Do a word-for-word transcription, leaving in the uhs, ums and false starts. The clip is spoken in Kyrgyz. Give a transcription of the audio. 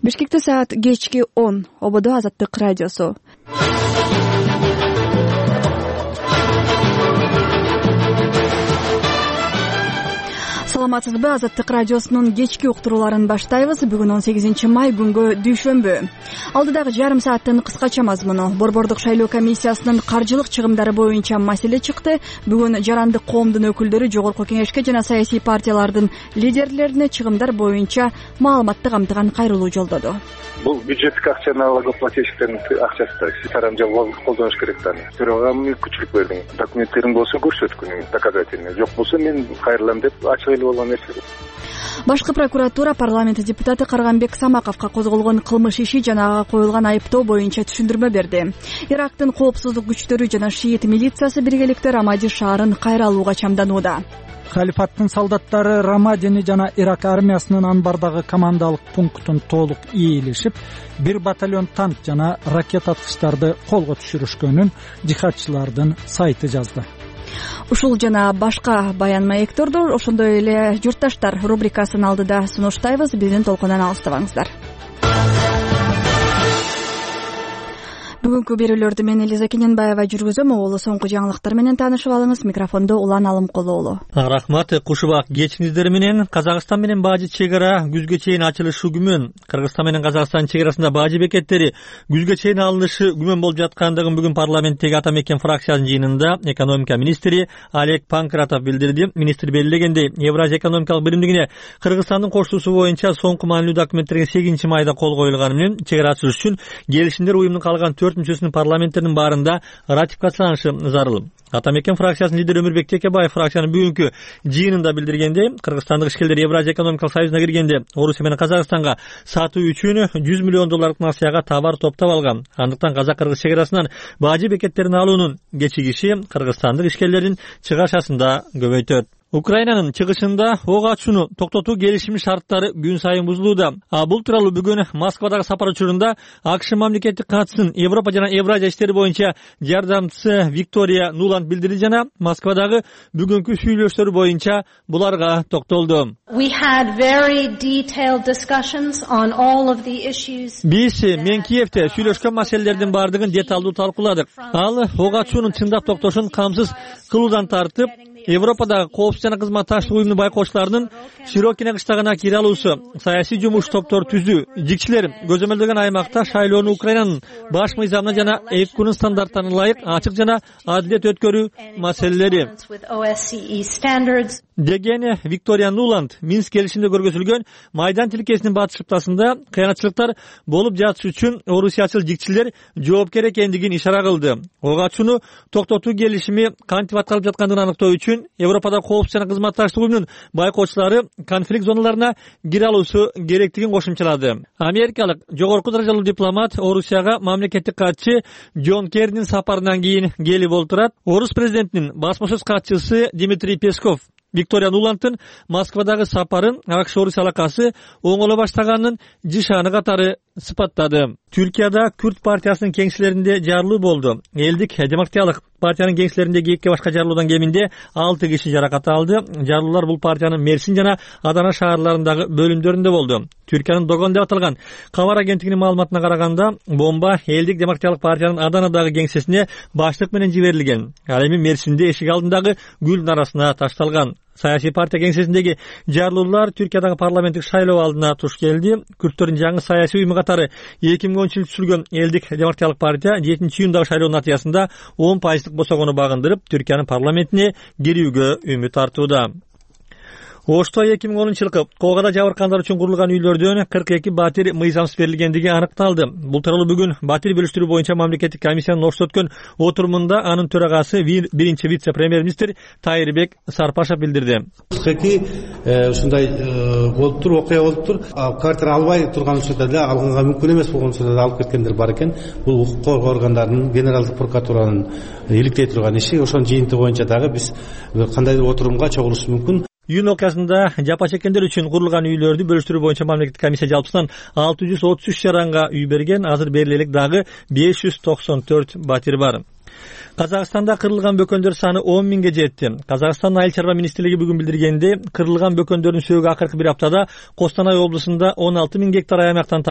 Бишкекте саат кечки он. Ободо Азаттык радиосу. Саламатсызбы? Азаттык радиосунун кечки уктурууларын баштайбыз. Бүгүн он сегизинчи май күнгө дүйшөмбү. Алдыдагы жарым сааттын кыскача мазмуну. Борбордук шайлоо комиссиясынын каржылык чыгымдары боюнча маселе чыкты. Бүгүн жарандык коомдун өкүлдөрү жогорку кеңешке жана саясий партиялардын лидерлерине чыгымдар боюнча маалыматты камтыган кайрылуу жолдоду. Бул бюджеттик акча налогоплательщиктердин акчасы да. Тарамжал колдонуш керек да. Бирок мүмкүнчүлүк бердиң. Документтериң болсо көрсөткүн, доказательный. Жок болсо мен кайрылам деп ачык эле болгон нерсе. Башкы прокуратура парламент депутаты Карганбек Самаковго козголгон кылмыш иши жана ага коюлган айыптоо боюнча түшүндүрмө берди. Ирактын коопсуздук күчтөрү жана шиит милициясы биргеликте Рамади шаарын кайра алууга чамданууда. Халифаттын солдаттары Рамадини жана Ирак армиясынын анбардагы командалык пунктун толук ээлешип, бир батальон танк жана ракета аткычтарды колго түшүрүшкөнүн жихадчылардын сайты жазды. Ушул жана башка баян маекторду ошондой эле журтташтар рубрикасын алдыда сунуштайбыз. Биздин толкундан алыстабаңыздар. Бүгүнкү берүүлөрдү мен Элиза Кененбаева жүргүзөм. Оолу соңку жаңылыктар менен таанышып алыңыз. Микрофондо Улан Алымкулуулу. Рахмат. Кушубак кечиңиздер менен. Казакстан менен Бажы чек ара күзгө чейин ачылышы күмөн. Кыргызстан менен Казакстан чек арасында Бажы бекеттери күзгө чейин алынышы күмөн болуп жаткандыгын бүгүн парламенттеги Ата Мекен фракциясынын жыйынында экономика министри Олег Панкратов билдирди. Министр белгилегендей, Евразия экономикалык биримдигине Кыргызстандын коштуусу боюнча соңку маанилүү документтерге сегизинчи майда кол коюлганы менен чек ара ачылыш үчүн келишимдер уюмдун калган төрт мүчөсүнүн парламенттеринин баарында ратификацияланышы зарыл. Ата Мекен фракциясынын лидери Өмүрбек Текебаев фракциянын бүгүнкү жыйынында билдиргендей, кыргызстандык ишкерлер Евразия экономикалык союзуна киргенде Орусия менен Казакстанга сатуу үчүн жүз миллион долларлык насыяга товар топтоп алган. Андыктан казак-кыргыз чек арасынан Бажы бекеттерин алуунун кечигиши кыргызстандык ишкерлердин чыгашасында көбөйтөт. Украинанын чыгышында ок ачууну токтотуу келишими шарттары күн сайын бузулууда. А бул тууралуу бүгүн Москвадагы сапар учурунда АКШ мамлекеттик катчысын Европа жана Евразия иштери боюнча жардамчысы Виктория Нуланд билдирди жана Москвадагы бүгүнкү сүйлөшүүлөр боюнча буларга токтолду. Биз мен Киевде сүйлөшкөн маселелердин баардыгын деталдуу талкууладык. Ал ок ачуунун чындап токтошун камсыз кылуудан тартып, Европадагы коопсуздук жана кызматташтык уюмунун байкоочуларынын Широкине кыштагына кире алуусу, саясий жумуш топтор түзүү, жигчилер көзөмөлдөгөн аймакта шайлоону Украинанын баш мыйзамына жана ЭКУнун стандарттарына ылайык ачык жана адилет өткөрүү маселелери деген Виктория Нуланд Минск келишиминде көргөзүлгөн Майдан тилкесинин батыш шыптасында кыянатчылыктар болуп жатышы үчүн орусиячыл жигчилер жоопкер экендигин ишара кылды. Ок ачууну токтотуу келишими кантип аткарылып жаткандыгын аныктоо үчүн Европада коопсуздук жана кызматташтык уюмунун байкоочулары конфликт зоналарына кире алуусу керектигин кошумчалады. Америкалык жогорку даражалуу дипломат Орусияга мамлекеттик катчы Джон Керринин сапарынан кийин келип олтурат. Орус президентинин басма сөз катчысы Дмитрий Песков Виктория Нуландтын Москвадагы сапарын АКШ-Орусия алакасы оңоло баштаганын жишаны катары сыпаттады. Түркияда Күрд партиясынын кеңселеринде жарылуу болду. Элдик демократиялык партиянын кеңселериндеги эки башка жарылуудан кеминде алты киши жаракат алды. Жарылуулар бул партиянын Мерсин жана Адана шаарларындагы бөлүмдөрүндө болду. Түркиянын Догон деп аталган кабар агенттигинин маалыматына караганда, бомба Элдик демократиялык партиянын Аданадагы кеңсесине баштык менен жиберилген. Ал эми Мерсинде эшик алдындагы гүлдүн арасына ташталган. Саясий партия кеңсесиндеги жарылуулар Түркиядагы парламенттик шайлоо алдына туш келди. Күрттөрдүн жаңы саясий уюму катары эки миң онунчу жылы түзүлгөн Элдик демократиялык партия жетинчи июндагы шайлоонун натыйжасында он пайыздык босогону багындырып, Түркиянын парламентине кирүүгө үмүт артууда. Ошто эки миң онунчу жылкы коогада жабыркандар үчүн курулган үйлөрдөн кырк эки батир мыйзамсыз берилгендиги аныкталды. Бул тууралуу бүгүн батир бөлүштүрүү боюнча мамлекеттик комиссиянын Ошто өткөн отурумунда анын төрагасы биринчи вице-премьер-министр Тайырбек Сарпашев билдирди. кырк эки ушундай болуптур, окуя болуптур. Квартира албай турган учурда деле, алганга мүмкүн эмес болгон учурда да алып кеткендер бар экен. Бул укук коргоо органдарынын, генералдык прокуратуранын иликтей турган иши. Ошонун жыйынтыгы боюнча дагы биз кандайдыр отурумга чогулушубуз мүмкүн. Июнь окуясында жапа чеккендер үчүн курулган үйлөрдү бөлүштүрүү боюнча мамлекеттик комиссия жалпысынан алты жүз отуз үч жаранга үй берген. Азыр берилелик дагы беш жүз токсон төрт батир бар. Казакстанда кырылган бөкөндөр саны он миңге жетти. Казакстандын айыл чарба министрлиги бүгүн билдиргенде, кырылган бөкөндөрдүн сөөгү акыркы бир аптада Костанай облусунда он алты миң гектар аймактан